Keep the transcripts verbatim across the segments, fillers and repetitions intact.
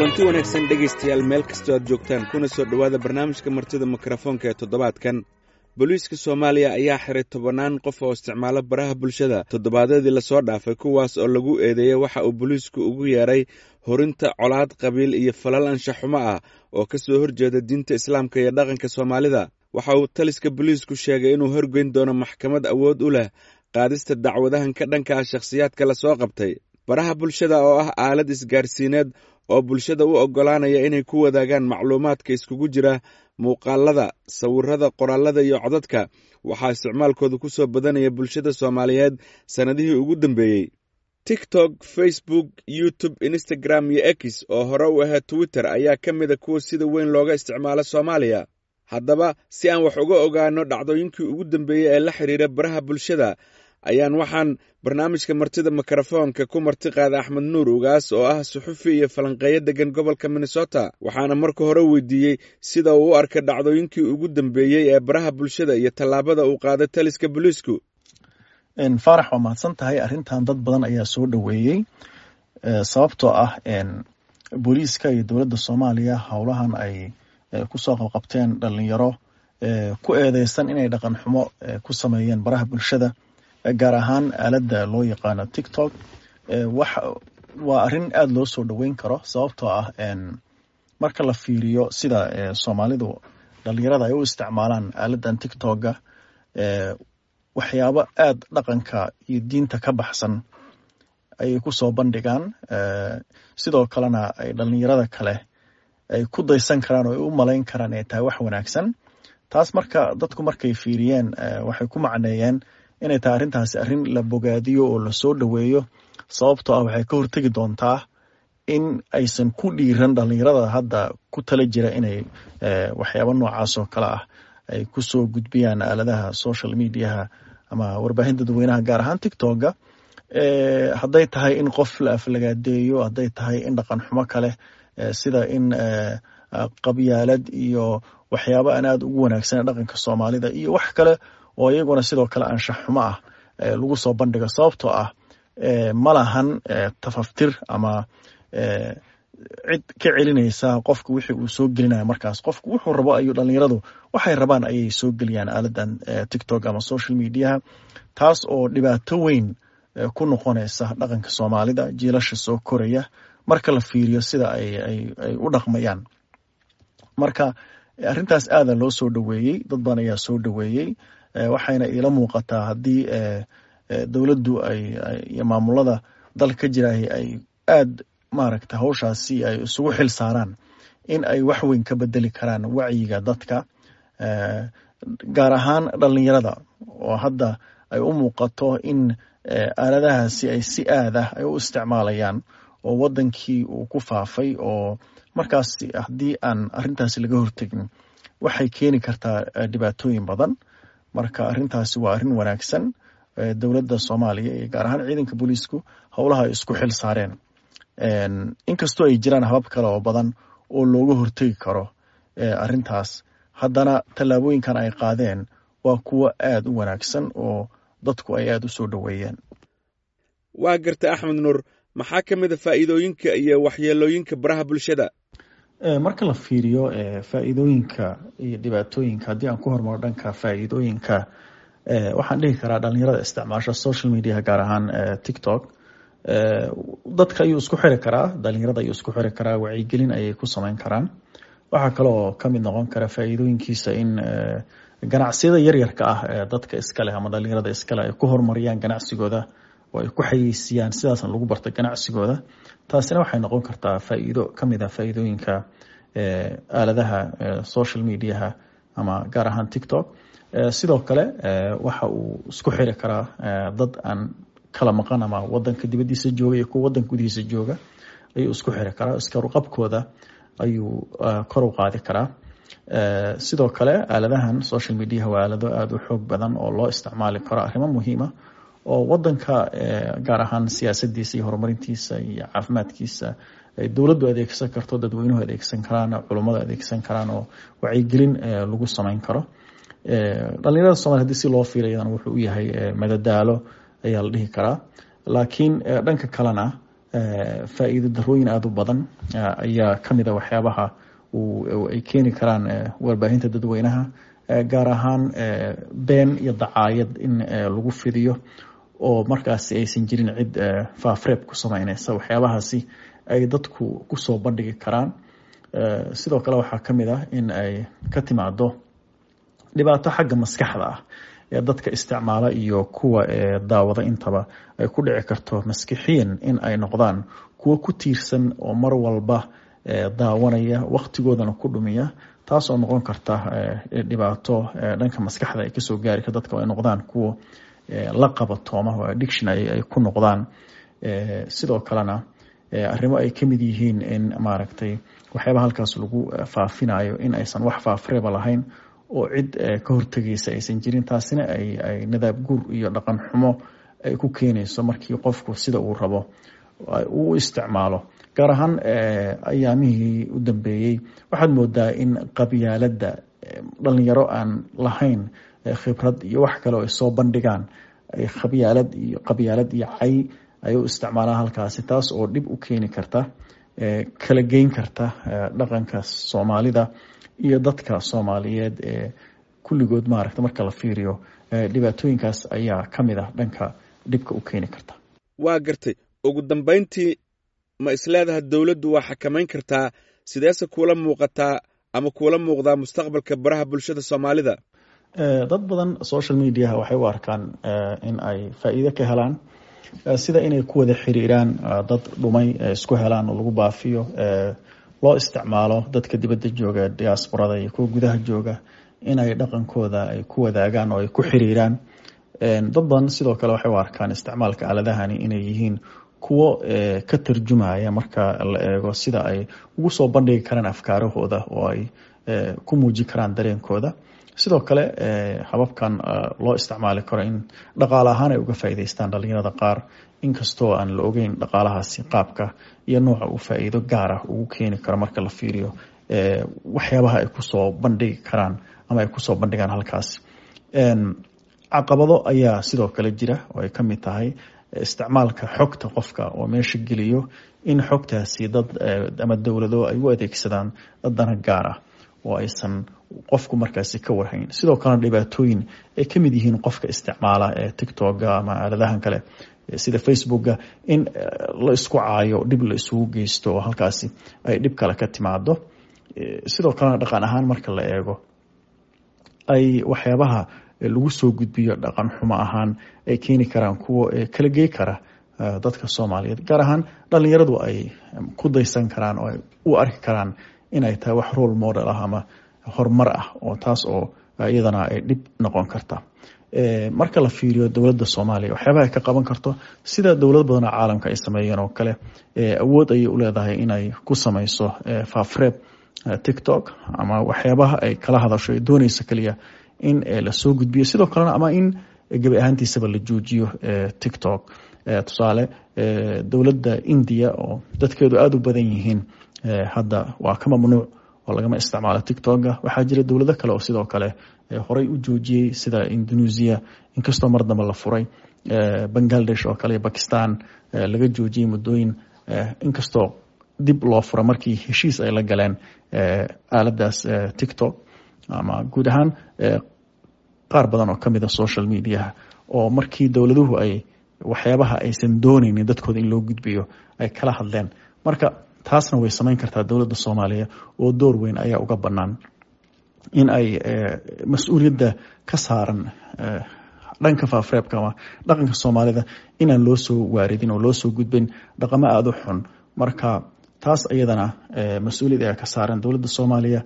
Kulanti wanaagsan, dhegaystayaal, meel kastoo aad joogtaan, kuna soo dhowaada barnaamijka Martida Mikrofoonka ee toddobaadkan. Booliiska Soomaaliya ayaa xiray tobannaan qof oo isticmaalo baraha bulshada toddobaadyadii lasoo dhaafay, kuwaas oo lagu eedeeyey waxa uu booliisku ugu yeeray horinta colaad qabiil iyo falal anshaxumo ah oo ka soo horjeeda diinta Islaamka iyo dhaqanka Soomaalida. Waxa uu taliska booliisku sheegay inuu horgeyn doono maxkamad awood u leh qaadista dacwadahan ka dhanka ah shakhsiyaadka lasoo qabtay. Baraha bulshada oo ah aalad isgaarsiineed oo bulshada u oggolaanaya inay ku wadaagaan macluumaadka iskugu jira muuqaalada, sawirada, qoraalada iyo codadka, waxaa isticmaalkooda ku soo badanaya bulshada Soomaaliyeed sannadihii ugu dambeeyey. TikTok, Facebook, YouTube, Instagram iyo X oo hore u ahayd Twitter ayaa ka mida kuwa sida weyn looga isticmaalo Soomaaliya. Haddaba, si aan wax uga ogaano dhacdooyinkii ugu dambeeyey ee la xiriira baraha bulshada, ayaan waxaan barnaamijka Martida Mikrofoonka ku marti qaada Axmed Nuur Ugaas oo ah suxufi iyo falanqeeyo degan gobolka Minnesota. Waxaana marka hore weydiiyey sida uu u arkay dhacdooyinkii ugu dambeeyey ee baraha bulshada iyo tallaabada uu qaaday taliska booliisku. Faarax, waa mahadsan tahay. Arrintan dad badan ayaa soo dhoweeyey, sababtoo ah booliiska iyo dowladda Soomaaliya howlahan ay kusoo qabqabteen dhalinyaro ku eedeysan inay dhaqan xumo ku sameeyeen baraha bulshada, gaar ahaan aaladda loo yaqaano TikTok, wax waa arrin aada loo soo dhoweyn karo, sababtoo ah marka la fiiriyo sida Soomaalidu dhalinyarada ay u isticmaalaan aaladdan TikToka, waxyaabo aada dhaqanka iyo diinta ka baxsan ayay kusoo bandhigaan. Sidoo kalena ay dhalinyarada kale ay ku daysan karaan oo ay u malayn karaan inay tahay wax wanaagsan. Taas marka dadku markay fiiriyeen, waxay ku macneeyeen inay tahay arrintaasi arrin la bogaadiyo oo lasoo dhoweeyo, sababtoo ah waxay ka hortegi doontaa in aysan ku dhiiran dhalinyarada hadda ku tala jira inay waxyaabo noocaas oo kale ah ay kusoo gudbiyaan aaladaha social mediaha ama warbaahinta dadweynaha, gaar ahaan TikToka. Hadday tahay in qof la aflagaadeeyo, hadday tahay in dhaqan xumo kale sida in qabyaalad iyo waxyaabo aan aada ugu wanaagsan dhaqanka Soomaalida iyo wax kale oo iyaguna sidoo kale anshax xumo ah lagu soo bandhigo, sababtoo ah ma lahan tafaftir ama cid ka celinaysa qofka wixii uu soo gelinaya. Markaas qofku wuxuu rabo ayuu, dhalinyaradu waxay rabaan ayay soo geliyaan aaladan TikTok ama social mediaha, taas oo dhibaato weyn ku noqonaysa dhaqanka Soomaalida, jiilasha soo koraya marka la fiiriyo sida ay ay ay u dhaqmayaan. Marka arrintaas aada loo soo dhoweeyey, dad badan ayaa soo dhoweeyey, waxayna iila muuqataa haddii dowladdu ay iyo maamulada dalka ka jiraay ay aada maaragta hawshaasi ay isugu xil saaraan in ay wax weyn ka bedeli karaan wacyiga dadka, gaar ahaan dhalinyarada oo hadda ay u muuqato in aaladahaasi ay si aad ah ay u isticmaalayaan oo wadankii uu ku faafay, oo markaas haddii aan arrintaasi laga hortegin waxay keeni kartaa dhibaatooyin badan. Marka arrintaasi waa arrin wanaagsan dowladda Soomaaliya iyo gaar ahaan ciidanka booliisku howlaha ay isku xil saareen, inkastoo ay jiraan habab kale oo badan oo looga hortegi karo arrintaas, haddana tallaabooyinkan ay qaadeen waa kuwo aada u wanaagsan oo dadku ay aada u soo dhoweeyeen. Waa garta, Axmed Nuur. Maxaa ka mid a faa'iidooyinka iyo waxyeelooyinka baraha bulshada? Marka la fiiriyo faa'iidooyinka iyo dhibaatooyinka, haddii aan ku hormaro dhanka faa'iidooyinka, waxaan dhihi karaa dhalinyarada isticmaasha social mediaha, gaar ahaan TikTok, dadka ayuu isku xiri karaa, dhalinyarada ayuu isku xiri karaa, wacyigelin ayay ku sameyn karaan. Waxaa kaloo kamid noqon kara faa'iidooyinkiisa in ganacsiyada yaryarka ah ee dadka iskaleh ama dhalinyarada iskaleh ay ku horumariyaan ganacsigooda oo ay ku xayeysiiyaan, sidaasna lagu barta ganacsigooda. Taasina waxay noqon kartaa faa'iido kamid ah faa'iidooyinka aaladaha social mediaha ama gaar ahaan TikTok. Sidoo kale waxa uu isku xiri karaa dad aan kala maqan ama wadanka dibadiisa jooga iyo kuwa wadanka gudihiisa jooga ayuu isku xiri karaa, iskaruqabkooda ayuu kor u qaadi karaa. Sidoo kale aaladahan social mediaha waa aalado aada u xoog badan oo loo isticmaali karo arrimo muhiima oo wadanka, gaar ahaan siyaasadiisa iyo horumarintiisa iyo caafimaadkiisa, ay dowladdu adeegsan karto, dadweynuhu adeegsan karaan, culummadu adeegsan karaan oo wacyigelin lagu sameyn karo. Dhalinyarada Somalia hadii si loo fiirayana wuxuu u yahay madadaalo ayaa la dhihi karaa, laakiin dhanka kalena Faa'iido darooyin aada u badan ayaa ka mid a waxyaabaha ay keeni karaan warbaahinta dadweynaha, gaar ahaan been iyo dacaayad in lagu fidiyo oo markaasi aysan jirin cid faafreeb ku sameyneysa waxyaabahaasi ay dadku kusoo bandhigi karaan. Sidoo kale waxaa ka mid ah in ay ka timaado dhibaato xagga maskaxda ah ee dadka isticmaala iyo kuwa daawada intaba ay ku dhici karto maskixiyan in ay noqdaan kuwo ku tiirsan oo mar walba daawanaya, waqtigoodana ku dhumiya, taas oo noqon karta dhibaato dhanka maskaxda ay kasoo gaari karto dadka, ay noqdaan kuwo la qabatooma oo addiction ay ku noqdaan. Sidoo kalena arrimo ay kamid yihiin in maaragtay waxyaabaha halkaas lagu faafinayo in aysan wax faafreeba lahayn oo cid ka hortegeysa aysan jirin, taasina ay ay nadaab guur iyo dhaqan xumo ay ku keenayso markii qofku sida uu rabo uu isticmaalo. Gaar ahaan ayaamihii u dambeeyey waxaad moodaa in qabyaaladda dhalinyaro aan lahayn khibrad iyo wax kale oo ay soo bandhigaan ay khabyaalad iyo qabyaalad iyo cay ay u isticmaalaan halkaasi, taas oo dhib u keeni karta, kala geyn karta dhaqanka Soomaalida iyo dadka Soomaaliyeed ee kulligood. Maaragta marka la fiiriyo dhibaatooyinkaas ayaa ka mid ah dhanka dhibka u keeni karta. Waa gartay. Ugu dambayntii, ma isleedaha dowladdu waa xakamayn kartaa? Sideese kuula muuqataa ama kuula muuqdaa mustaqbalka baraha bulshada Soomaalida? Dad badan social mediaha waxay u arkaan in ay faa'iido ka helaan, sida inay ku wada xiriiraan dad dhumay, isku helaan oo lagu baafiyo, loo isticmaalo dadka dibadda jooga, diasporada, iyo kuwa gudaha jooga inay dhaqankooda ay ku wadaagaan oo ay ku xiriiraan. Dad badan sidoo kale waxay u arkaan isticmaalka aaladahani inay yihiin kuwo ka tarjumaya marka la eego sida ay ugu soo bandhigi karaan afkaarahooda oo ay ku muujin karaan dareenkooda. Sidoo kale hababkan loo isticmaali karo in dhaqaale ahaan ay uga faa'iidaystaan dhalinyarada qaar, inkastoo aan la ogeyn dhaqaalahaasi qaabka iyo nooca uu faa'iido gaar ah ugu keeni karo marka la fiiriyo waxyaabaha ay kusoo bandhigi karaan ama ay kusoo bandhigaan halkaas. Caqabado ayaa sidoo kale jira oo ay ka mid tahay isticmaalka xogta qofka oo meesha geliyo, in xogtaasi dad ama dowlado ay u adeegsadaan dana gaar ah oo aysan qofku markaasi ka warhayn. Sidoo kalena dhibaatooyin ay ka mid yihiin qofka isticmaala ee TikToka ama aaladahan kale sida Facebooka in la isku caayo, dhib la isugu geysto oo halkaasi ay dhib kale ka timaado. Sidoo kalena dhaqan ahaan marka la eego ay waxyaabaha lagu soo gudbiyo dhaqan xumo ahaan ay keeni karaan kuwo kala gey kara dadka Soomaaliyeed, gaar ahaan dhalinyaradu ay ku daysan karaan oo ay u arki karaan inay tahay wax role model ah ama horumar ah, oo taas oo iyadana ay dhib noqon karta. Marka la fiiriyo dowladda Soomaaliya waxyaabaha ay ka qaban karto, sida dowlad badan oo caalamka ay sameeyeen oo kale, awood ayay u leedahay inay ku sameyso faafreeb TikTok ama waxyaabaha ay kala hadasho ay dooneyso keliya in lasoo gudbiyo, sidoo kalena ama in gebi ahaantiisaba la joojiyo TikTok. Tusaale, dowladda India oo dadkeedu aada u badan yihiin hadda waa ka mamnuuc oo lagama isticmaalo TikToka. Waxaa jira dowlado kale oo sidoo kale horey u joojiyey, sida Indonesia, inkastoo mar dambe la furay, Bangladesh oo kale, Bakistan laga joojiyey muddooyin, inkastoo dib loo fura markii heshiis ay la galeen aaladaas TikTok ama guud ahaan qaar badan oo kamid a social mediaha, oo markii dowladuhu ay waxyaabaha aysan dooneynin dadkooda in loo gudbiyo ay kala hadleen. Marka taasna way samayn kartaa dowladda Soomaaliya oo door weyn ayaa uga bannaan in ay mas-uuliyadda ka saaran dhanka faafreebka ama dhaqanka Soomaalida inaan loo soo waaridin oo loo soo gudbin dhaqamo aada u xun. Marka taas iyadana mas-uuliyad ayaa ka saaran dowladda Soomaaliya,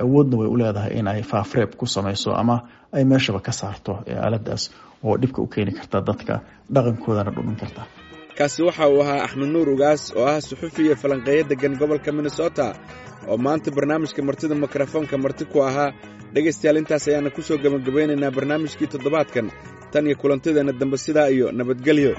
awoodna way u leedahay in ay faafreeb ku samayso ama ay meeshaba ka saarto aaladaas oo dhibka u keeni karta dadka, dhaqankoodana dhumin karta. Kaasi waxa uu ahaa Axmed Nuur Ugaas oo ah suxufi iyo falanqeeyo deggan gobolka Minnesota oo maanta barnaamijka martida mikrofoonka marti ku ahaa. Dhegaystayaal, intaas ayaana ku soo gebagabaynaynaa barnaamijkii toddobaadkan. Tan iyo kulantideenna dambe, sidaa iyo nabadgelyo.